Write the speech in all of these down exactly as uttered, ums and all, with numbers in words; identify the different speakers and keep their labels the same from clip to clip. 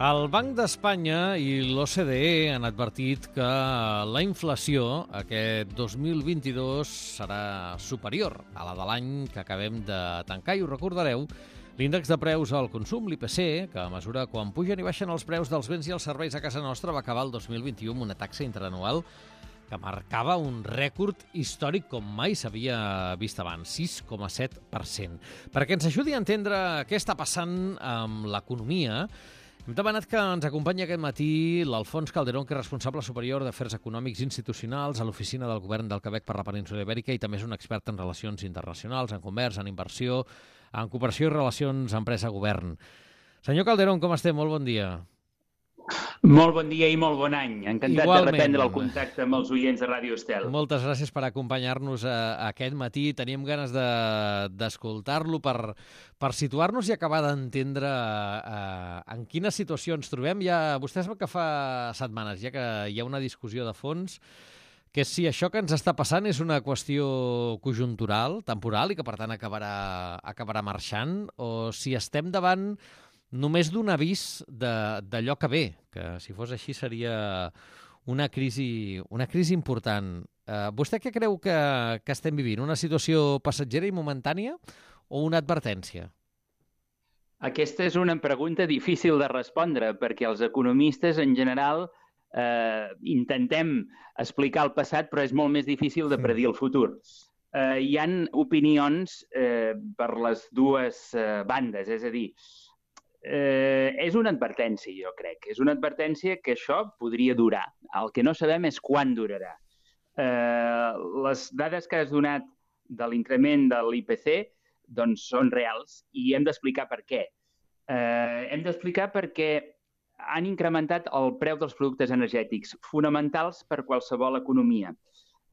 Speaker 1: El Banc d'Espanya i l'O C D E han advertit que la inflació aquest dos mil vint-i-dos serà superior a la de l'any que acabem de tancar. I ho recordareu, l'índex de preus al consum, l'I P C, que mesura quan pugen i baixen els preus dels béns i els serveis a casa nostra, va acabar el dos mil vint-i-u amb una taxa interanual que marcava un rècord històric com mai s'havia vist abans, sis coma set per cent. Perquè ens ajudi a entendre què està passant amb l'economia, hem demanat que ens acompanyi aquest matí l'Alfons Calderón, que és responsable superior d'Afers Econòmics Institucionals a l'Oficina del Govern del Quebec per la Península Ibèrica i també és un expert en relacions internacionals, en comerç, en inversió, en cooperació i relacions empresa-govern. Senyor Calderón, com estem? Molt bon dia.
Speaker 2: Molt bon dia i molt bon any. Encantat
Speaker 1: Igualment.
Speaker 2: de reprendre el contacte amb els oients de Ràdio Estel.
Speaker 1: Moltes gràcies per acompanyar-nos a, a aquest matí. Teníem ganes d'escoltar-lo de, per, per situar-nos i acabar d'entendre eh, en quina situació ens trobem. Ja, vostè sap que fa setmanes ja que hi ha una discussió de fons que si això que ens està passant és una qüestió conjuntural, temporal, i que per tant acabarà, acabarà marxant, o si estem davant només d'un avís d'allò que ve, que si fos així seria una crisi, una crisi important. Uh, vostè què creu que, que estem vivint? Una situació passatgera i momentània o una advertència?
Speaker 2: Aquesta és una pregunta difícil de respondre, perquè els economistes en general eh, intentem explicar el passat, però és molt més difícil de predir el futur. Eh, hi ha opinions eh, per les dues eh, bandes, és a dir, Eh, és una advertència, jo crec. És una advertència que això podria durar. El que no sabem és quan durarà. Eh, les dades que has donat de l'increment de l'I P C doncs, són reals i hem d'explicar per què. Eh, hem d'explicar perquè han incrementat el preu dels productes energètics, fonamentals per qualsevol economia.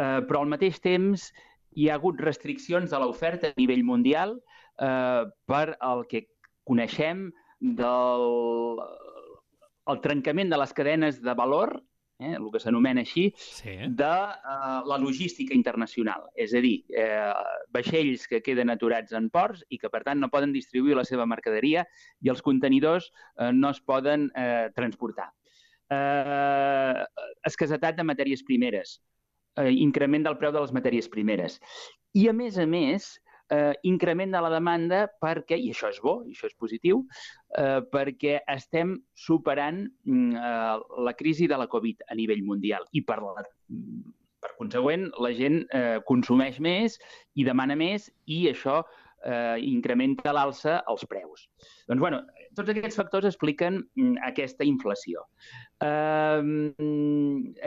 Speaker 2: Eh, però al mateix temps hi ha hagut restriccions a l'oferta a nivell mundial eh, per el que coneixem del el trencament de les cadenes de valor, eh, el que s'anomena així, sí. de uh, la logística internacional. És a dir, eh, vaixells que queden aturats en ports i que, per tant, no poden distribuir la seva mercaderia i els contenidors eh, no es poden eh, transportar. Eh, escassetat de matèries primeres, eh, increment del preu de les matèries primeres. I, a més a més, Eh, increment de la demanda perquè, i això és bo, i això és positiu, eh, perquè estem superant eh, la crisi de la Covid a nivell mundial i per, la, per consegüent la gent eh, consumeix més i demana més i això eh, incrementa a l'alça els preus. Doncs, bueno, tots aquests factors expliquen mm, aquesta inflació. Eh,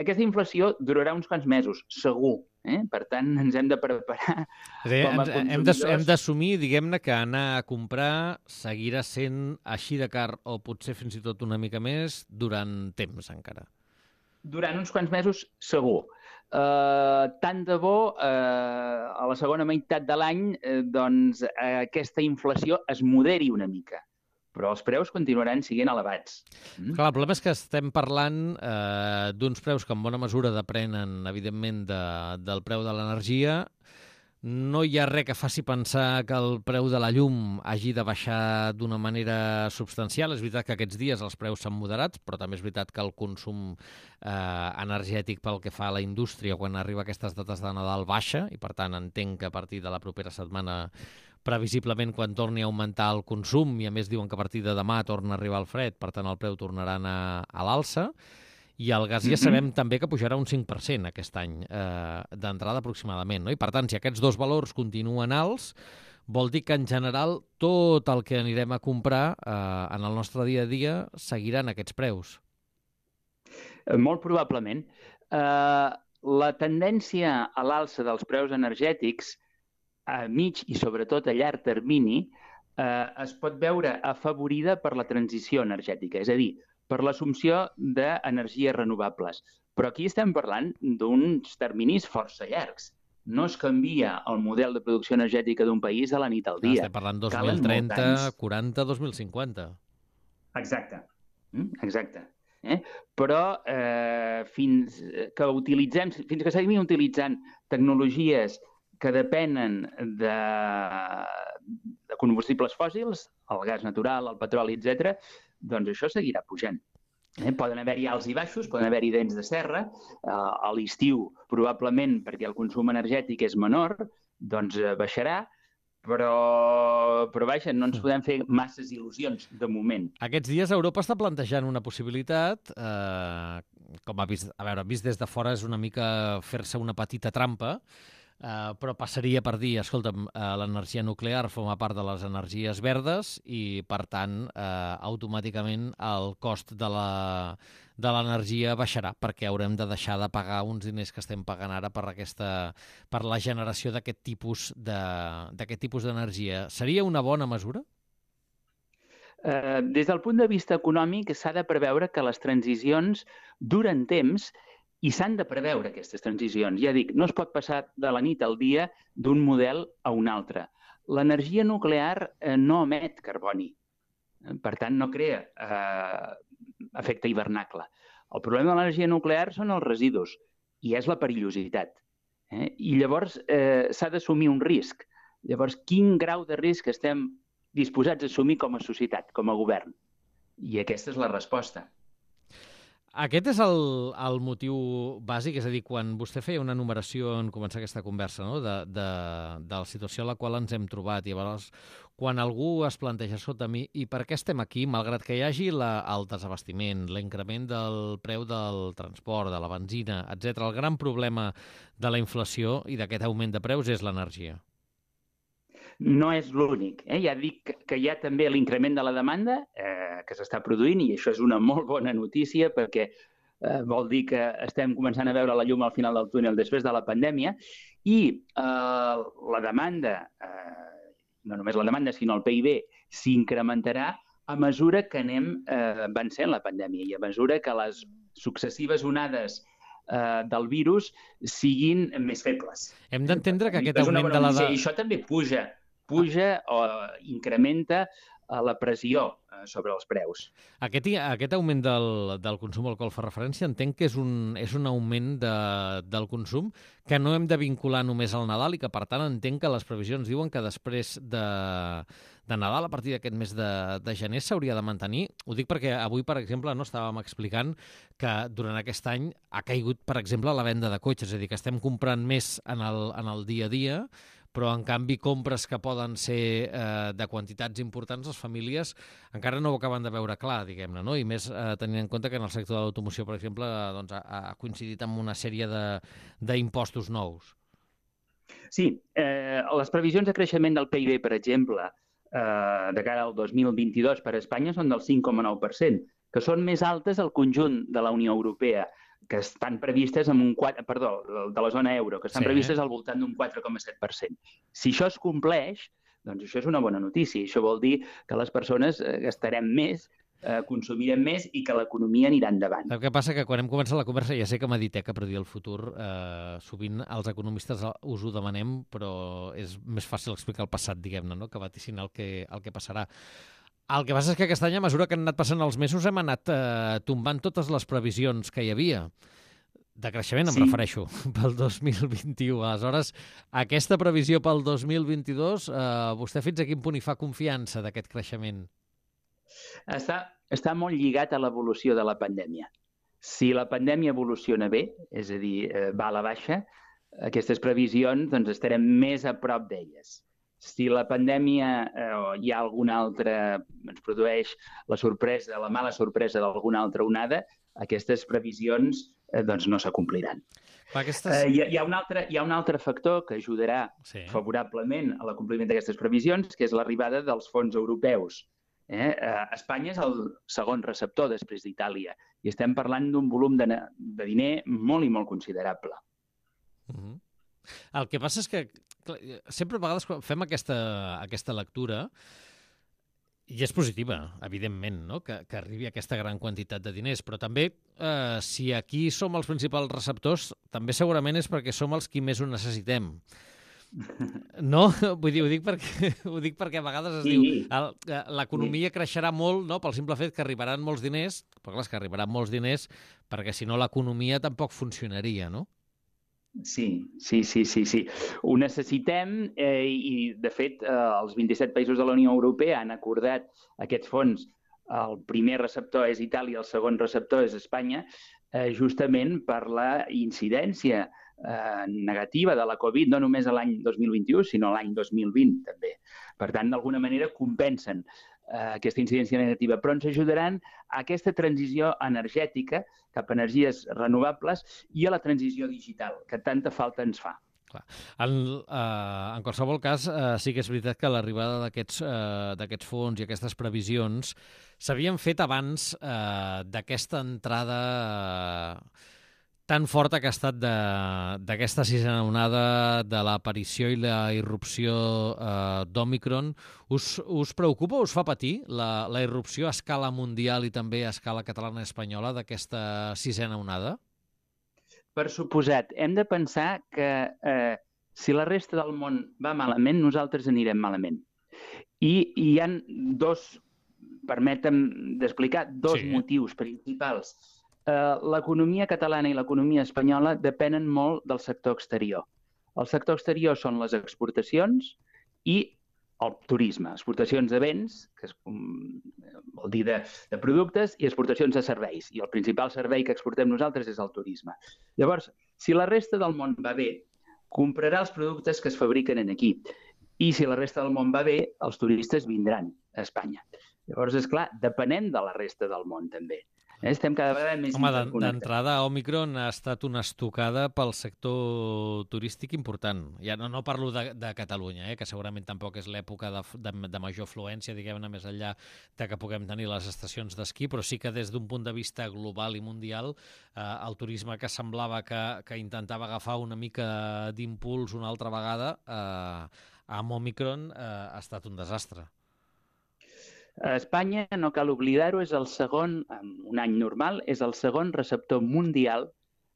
Speaker 2: aquesta inflació durarà uns quants mesos, segur. Eh? Per tant, ens hem de preparar
Speaker 1: sí,
Speaker 2: com a consumidors.
Speaker 1: Hem d'assumir, diguem-ne, que anar a comprar seguirà sent així de car o potser fins i tot una mica més durant temps encara.
Speaker 2: Durant uns quants mesos, segur. Uh, tant de bo, uh, a la segona meitat de l'any, uh, doncs, uh, aquesta inflació es moderi una mica. Però els preus continuaran sent elevats.
Speaker 1: Mm? Clar, el problema és que estem parlant eh, d'uns preus que en bona mesura depenen, evidentment, de, del preu de l'energia. No hi ha res que faci pensar que el preu de la llum hagi de baixar d'una manera substancial. És veritat que aquests dies els preus s'han moderat, però també és veritat que el consum eh, energètic pel que fa a la indústria quan arriba a aquestes dates de Nadal baixa, i per tant entenc que a partir de la propera setmana previsiblement quan torni a augmentar el consum, i a més diuen que a partir de demà torna a arribar el fred, per tant el preu tornarà a anar a l'alça, i el gas ja sabem mm-hmm. també que pujarà un cinc per cent aquest any eh, d'entrada aproximadament, no? I per tant, si aquests dos valors continuen alts, vol dir que en general tot el que anirem a comprar eh, en el nostre dia a dia seguiran aquests preus.
Speaker 2: Molt probablement. Uh, la tendència a l'alça dels preus energètics a mig i sobretot a llarg termini, eh, es pot veure afavorida per la transició energètica, és a dir, per l'assumpció d'energies renovables. Però aquí estem parlant d'uns terminis força llargs. No es canvia el model de producció energètica d'un país a la nit al dia.
Speaker 1: Estem parlant dos mil trenta, quaranta, dos mil cinquanta.
Speaker 2: Exacte, exacte. Eh? Però eh, fins que utilitzem, fins que seguim utilitzant tecnologies que depenen de, de combustibles fòssils, el gas natural, el petroli, etcètera, doncs això seguirà pujant. Eh? Poden haver-hi alts i baixos, poden haver-hi dents de serra. Eh, a l'estiu, probablement, perquè el consum energètic és menor, doncs eh, baixarà, però, però vaja, no ens podem fer masses il·lusions de moment.
Speaker 1: Aquests dies Europa està plantejant una possibilitat, eh, com ha vist, a veure, vist des de fora és una mica fer-se una petita trampa, Uh, però passaria per dir, escolta'm, uh, l'energia nuclear forma part de les energies verdes i, per tant, uh, automàticament el cost de la, de l'energia baixarà, perquè haurem de deixar de pagar uns diners que estem pagant ara per, aquesta, per la generació d'aquest tipus de, d'aquest tipus d'energia. Seria una bona mesura?
Speaker 2: Uh, des del punt de vista econòmic, s'ha de preveure que les transicions duren temps i s'han de preveure aquestes transicions. Ja dic, no es pot passar de la nit al dia d'un model a un altre. L'energia nuclear eh, no emet carboni. Per tant, no crea eh, efecte hivernacle. El problema de l'energia nuclear són els residus i és la perillositat. Eh? I llavors eh, s'ha d'assumir un risc. Llavors, quin grau de risc estem disposats a assumir com a societat, com a govern? I aquesta és la resposta.
Speaker 1: Aquest és el, el motiu bàsic, és a dir, quan vostè feia una enumeració en començar aquesta conversa, no? de, de, de la situació a la qual ens hem trobat, i llavors quan algú es planteja, escolta, mi, i per què estem aquí, malgrat que hi hagi la, el desabastiment, l'increment del preu del transport, de la benzina, etcètera, el gran problema de la inflació i d'aquest augment de preus és l'energia.
Speaker 2: No és l'únic. Eh? Ja dic que hi ha també l'increment de la demanda eh, que s'està produint i això és una molt bona notícia perquè eh, vol dir que estem començant a veure la llum al final del túnel després de la pandèmia i eh, la demanda, eh, no només la demanda sinó el P I B, s'incrementarà a mesura que anem eh, vencent la pandèmia i a mesura que les successives onades eh, del virus siguin més febles.
Speaker 1: Hem d'entendre que aquest augment de la...
Speaker 2: I això també puja puja o incrementa la pressió sobre els preus.
Speaker 1: Aquest, aquest augment del, del consum al qual fa referència entenc que és un, és un augment de, del consum que no hem de vincular només al Nadal i que, per tant, entenc que les previsions diuen que després de, de Nadal, a partir d'aquest mes de, de gener, s'hauria de mantenir. Ho dic perquè avui, per exemple, no estàvem explicant que durant aquest any ha caigut, per exemple, la venda de cotxes, és a dir, que estem comprant més en el, en el dia a dia, però, en canvi, compres que poden ser eh, de quantitats importants, les famílies encara no ho acaben de veure clar, diguem-ne, no? I més eh, tenint en compte que en el sector de l'automoció, per exemple, doncs, ha, ha coincidit amb una sèrie d'impostos nous.
Speaker 2: Sí, eh, les previsions de creixement del P I B, per exemple, eh, de cara al dos mil vint-i-dos per a Espanya són del cinc coma nou per cent, que són més altes al conjunt de la Unió Europea, que estan previstes amb un quatre, perdó, de la zona euro, que estan sí. previstes al voltant d'un quatre coma set per cent. Si això es compleix, doncs això és una bona notícia. Això vol dir que les persones gastarem més, eh, consumirem més i que l'economia anirà endavant.
Speaker 1: El que passa que quan hem començat la conversa ja sé que Meditec a predir el futur, eh, sovint els economistes us ho demanem, però és més fàcil explicar el passat, diguem-ne, no? Que vaticinar el que, el que passarà. El que passa és que aquest any, a mesura que han anat passant els mesos, hem anat eh, tombant totes les previsions que hi havia. De creixement, em sí. refereixo, pel dos mil vint-i-u. Aleshores, aquesta previsió pel dos mil vint-i-dos, eh, vostè fins a quin punt hi fa confiança d'aquest creixement?
Speaker 2: Està, està molt lligat a l'evolució de la pandèmia. Si la pandèmia evoluciona bé, és a dir, eh, va a la baixa, aquestes previsions doncs, estarem més a prop d'elles. Si la pandèmia eh, o hi ha alguna altra, ens produeix la sorpresa, la mala sorpresa d'alguna altra onada, aquestes previsions eh, doncs no s'acompliran. Aquestes... Eh, hi, ha, hi, ha un altre, hi ha un altre factor que ajudarà sí. favorablement a l'acompliment d'aquestes previsions, que és l'arribada dels fons europeus. Eh? Eh, Espanya és el segon receptor després d'Itàlia i estem parlant d'un volum de, de diner molt i molt considerable.
Speaker 1: Uh-huh. El que passa és que clar, sempre a vegades fem aquesta, aquesta lectura i és positiva, evidentment, no? que, que arribi aquesta gran quantitat de diners, però també eh, si aquí som els principals receptors, també segurament és perquè som els qui més ho necessitem. No? Vull dir, ho dic perquè, ho dic perquè a vegades es sí. diu l'economia sí. creixerà molt no? Pel simple fet que arribaran molts diners, però clar, és que arribaran molts diners perquè si no l'economia tampoc funcionaria, no?
Speaker 2: Sí, sí, sí, sí, sí. Ho necessitem eh, i, de fet, eh, els vint-i-set països de la Unió Europea han acordat aquests fons el primer receptor és Itàlia, el segon receptor és Espanya, eh, justament per la incidència eh, negativa de la Covid, no només l'any dos mil vint-i-u, sinó l'any dos mil vint també. Per tant, d'alguna manera compensen eh, aquesta incidència negativa, però ens ajudaran a aquesta transició energètica cap a energies renovables i a la transició digital, que tanta falta ens fa.
Speaker 1: En, eh, en qualsevol cas, eh, sí que és veritat que l'arribada d'aquests eh, d'aquests fons i aquestes previsions s'havien fet abans eh, d'aquesta entrada eh, tan forta que ha estat d'aquesta sisena onada, de l'aparició i la irrupció eh, d'Òmicron. Us, us preocupa, us fa patir la, la irrupció a escala mundial i també a escala catalana i espanyola d'aquesta sisena onada?
Speaker 2: Per suposat, hem de pensar que eh, si la resta del món va malament, nosaltres anirem malament. I, i hi ha dos, permetem d'explicar, dos sí. motius principals. Eh, l'economia catalana i l'economia espanyola depenen molt del sector exterior. El sector exterior són les exportacions i el turisme, exportacions de béns, que és, um, vol dir de, de productes, i exportacions de serveis. I el principal servei que exportem nosaltres és el turisme. Llavors, si la resta del món va bé, comprarà els productes que es fabriquen aquí. I si la resta del món va bé, els turistes vindran a Espanya. Llavors, és clar, depenem de la resta del món, també. Estem cada vegada més interconnectats.
Speaker 1: Home, d'entrada, Òmicron ha estat una estocada pel sector turístic important. Ja no, no parlo de, de Catalunya, eh, que segurament tampoc és l'època de, de, de major afluència, diguem-ne, més enllà de que puguem tenir les estacions d'esquí, però sí que des d'un punt de vista global i mundial, eh, el turisme que semblava que, que intentava agafar una mica d'impuls una altra vegada, eh, amb Òmicron eh, ha estat un desastre.
Speaker 2: A Espanya, no cal oblidar-ho, és el segon, en un any normal, és el segon receptor mundial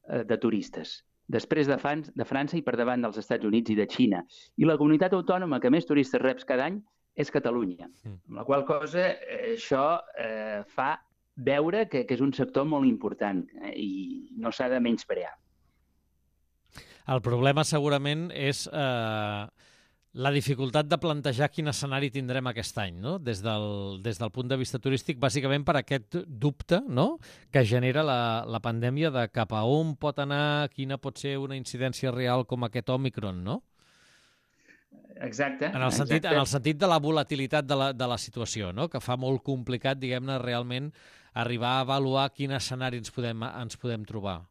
Speaker 2: eh, de turistes, després de, Fran de França i per davant dels Estats Units i de Xina. I la comunitat autònoma que més turistes reps cada any és Catalunya. Mm. Amb la qual cosa, eh, això eh, fa veure que, que és un sector molt important eh, i no s'ha de menysprear.
Speaker 1: El problema segurament és eh, la dificultat de plantejar quin escenari tindrem aquest any, no? Des del, des del punt de vista turístic, bàsicament per aquest dubte, no?, que genera la, la pandèmia de cap a on pot anar, quina pot ser una incidència real com aquest Òmicron, no?
Speaker 2: Exacte.
Speaker 1: En el sentit, exacte. En el sentit de la volatilitat de la, de la situació, no?, que fa molt complicat, diguem-ne, realment arribar a avaluar quin escenari ens podem, ens podem trobar.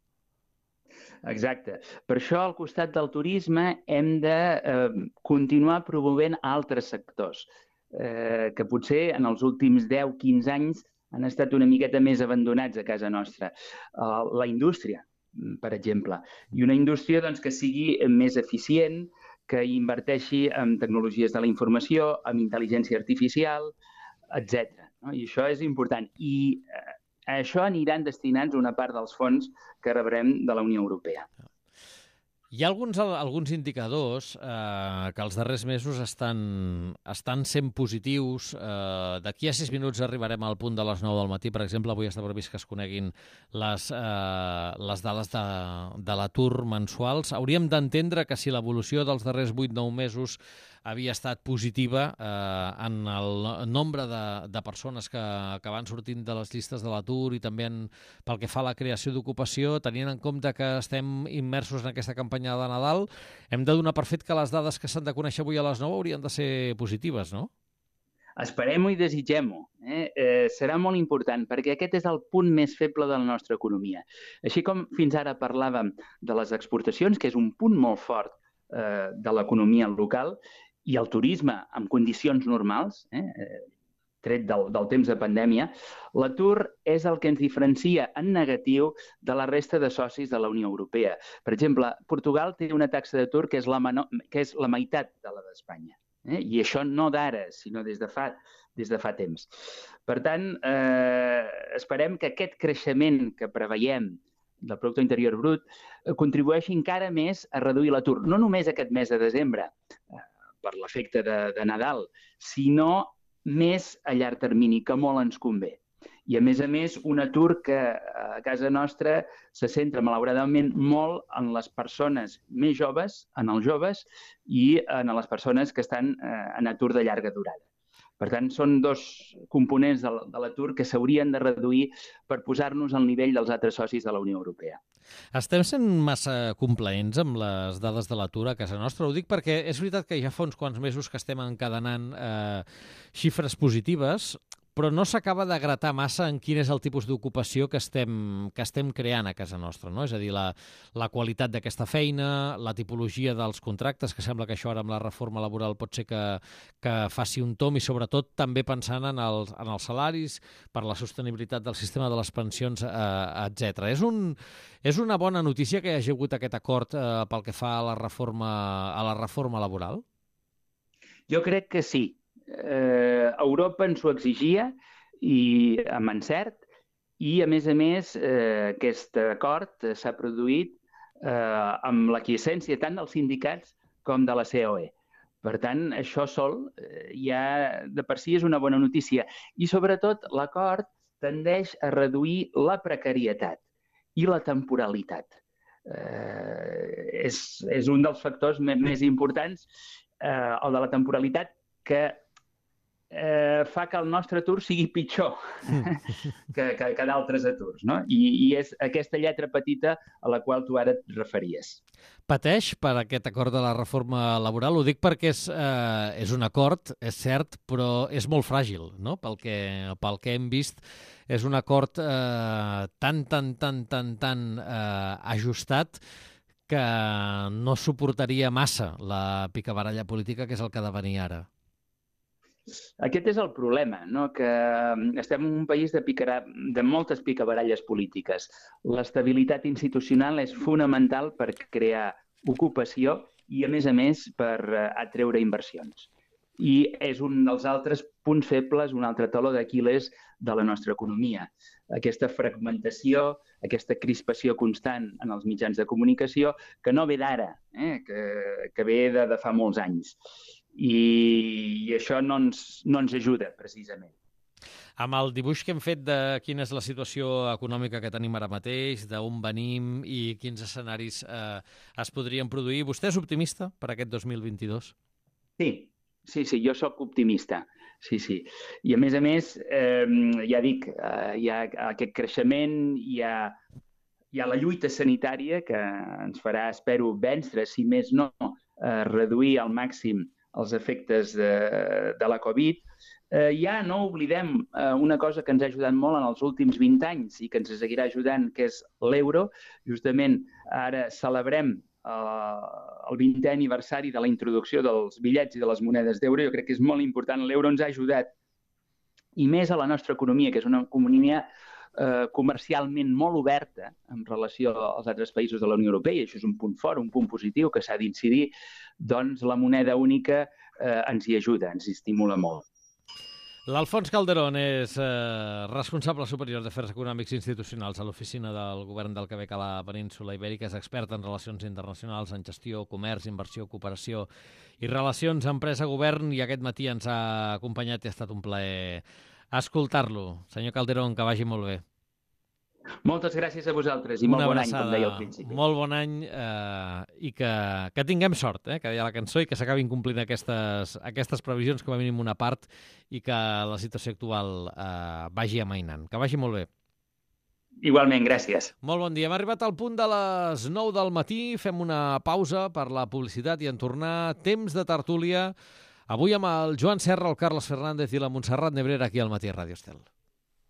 Speaker 2: Exacte. Per això, al costat del turisme, hem de eh, continuar promovent altres sectors eh, que potser en els últims deu a quinze anys han estat una miqueta més abandonats a casa nostra. Uh, la indústria, per exemple. I una indústria doncs, que sigui més eficient, que inverteixi en tecnologies de la informació, en intel·ligència artificial, etcètera. No? I això és important. I eh, a això aniran destinats una part dels fons que rebrem de la Unió Europea.
Speaker 1: Hi ha alguns, alguns indicadors eh, que els darrers mesos estan, estan sent positius. Eh, D'aquí a sis minuts arribarem al punt de les nou del matí. Per exemple, avui està previst que es coneguin les, eh, les dades de, de l'atur mensuals. Hauríem d'entendre que si l'evolució dels darrers vuit a nou mesos havia estat positiva eh, en el nombre de, de persones que, que van sortint de les llistes de l'atur i també en, pel que fa a la creació d'ocupació, tenint en compte que estem immersos en aquesta campanya de Nadal, hem de donar per fet que les dades que s'han de conèixer avui a les nou haurien de ser positives, no?
Speaker 2: Esperem-ho i desitgem-ho. Eh? Eh, serà molt important, perquè aquest és el punt més feble de la nostra economia. Així com fins ara parlàvem de les exportacions, que és un punt molt fort eh, de l'economia local, i el turisme en condicions normals, eh, tret del, del temps de pandèmia, l'atur és el que ens diferencia en negatiu de la resta de socis de la Unió Europea. Per exemple, Portugal té una taxa d'atur que és la, menor, que és la meitat de la d'Espanya. Eh? I això no d'ara, sinó des de fa, des de fa temps. Per tant, eh, esperem que aquest creixement que preveiem del producte interior brut contribueixi encara més a reduir l'atur. No només aquest mes de desembre, eh, per l'efecte de, de Nadal, sinó més a llarg termini, que molt ens convé. I, a més a més, un atur que a casa nostra se centra, malauradament, molt en les persones més joves, en els joves, i en les persones que estan eh, en atur de llarga durada. Per tant, són dos components de l'atur que s'haurien de reduir per posar-nos al nivell dels altres socis de la Unió Europea.
Speaker 1: Estem sent massa complaents amb les dades de l'atur a casa nostra? Ho dic perquè és veritat que ja fa uns quants mesos que estem encadenant eh, xifres positives, però no s'acaba de gratar massa en quin és el tipus d'ocupació que estem, que estem creant a casa nostra, no? És a dir, la, la qualitat d'aquesta feina, la tipologia dels contractes, que sembla que això ara amb la reforma laboral pot ser que, que faci un tom, i sobretot també pensant en els, en els salaris, per la sostenibilitat del sistema de les pensions, eh, etcètera. És, un, és una bona notícia que hi hagi hagut aquest acord eh, pel que fa a la reforma, a la reforma laboral?
Speaker 2: Jo crec que sí. Eh, Europa ens ho exigia i amb encert, i a més a més eh, aquest acord s'ha produït eh, amb l'aquiescència tant dels sindicats com de la C O E. Per tant, això sol eh, ja de per si és una bona notícia, i sobretot l'acord tendeix a reduir la precarietat i la temporalitat. Eh, és, és un dels factors més, més importants, eh, el de la temporalitat, que Eh, fa que el nostre atur sigui pitjor que, que, que d'altres aturs, no? I, i és aquesta lletra petita a la qual tu ara et referies.
Speaker 1: Pateix per aquest acord de la reforma laboral? Ho dic perquè és, eh, és un acord, és cert, però és molt fràgil, no? Pel que, pel que hem vist, és un acord eh, tan, tan, tan, tan, tan eh, ajustat que no suportaria massa la picabaralla política, que és el que ha de venir ara.
Speaker 2: Aquest és el problema, no? Que estem en un país de, picara... de moltes picabaralles polítiques. L'estabilitat institucional és fonamental per crear ocupació i, a més a més, per atreure inversions. I és un dels altres punts febles, un altre taló d'Aquil·les de la nostra economia. Aquesta fragmentació, aquesta crispació constant en els mitjans de comunicació, que no ve d'ara, eh? que, que ve de, de fa molts anys. I, i això no ens, no ens ajuda, precisament.
Speaker 1: Amb el dibuix que hem fet de quina és la situació econòmica que tenim ara mateix, d'on venim i quins escenaris eh, es podrien produir, vostè és optimista per aquest dos mil vint-i-dos?
Speaker 2: Sí, sí, sí, jo sóc optimista. Sí, sí. I a més a més, eh, ja dic, eh, hi ha aquest creixement, hi ha, hi ha la lluita sanitària que ens farà, espero, vèncer, si més no, eh, reduir al màxim els efectes de, de la Covid. Eh, ja no oblidem eh, una cosa que ens ha ajudat molt en els últims vint anys i que ens seguirà ajudant, que és l'euro. Justament ara celebrem eh, el vintè aniversari de la introducció dels bitllets i de les monedes d'euro. Jo crec que és molt important. L'euro ens ha ajudat, i més a la nostra economia, que és una economia eh, comercialment molt oberta en relació als altres països de la Unió Europea, i això és un punt fort, un punt positiu que s'ha d'incidir. Doncs la moneda única eh, ens hi ajuda, ens hi estimula molt.
Speaker 1: L'Alfons Calderón és eh, responsable superior d'Afers Econòmics Institucionals a l'Oficina del Govern del Quebec a la península Ibèrica, és expert en relacions internacionals, en gestió, comerç, inversió, cooperació i relacions empresa-govern, i aquest matí ens ha acompanyat i ha estat un plaer escoltar-lo. Senyor Calderón, que vagi molt bé.
Speaker 2: Moltes gràcies a vosaltres i molt bon any, com deia al principi.
Speaker 1: Molt bon any eh, i que, que tinguem sort, eh, que deia la cançó, i que s'acabin complint aquestes, aquestes previsions, com a mínim una part, i que la situació actual eh, vagi amainant. Que vagi molt bé.
Speaker 2: Igualment, gràcies.
Speaker 1: Molt bon dia. Hem arribat al punt de les nou del matí. Fem una pausa per la publicitat i en tornar temps de tertúlia. Avui amb el Joan Serra, el Carles Fernández i la Montserrat Nebrera aquí al Matí a Ràdio Estel.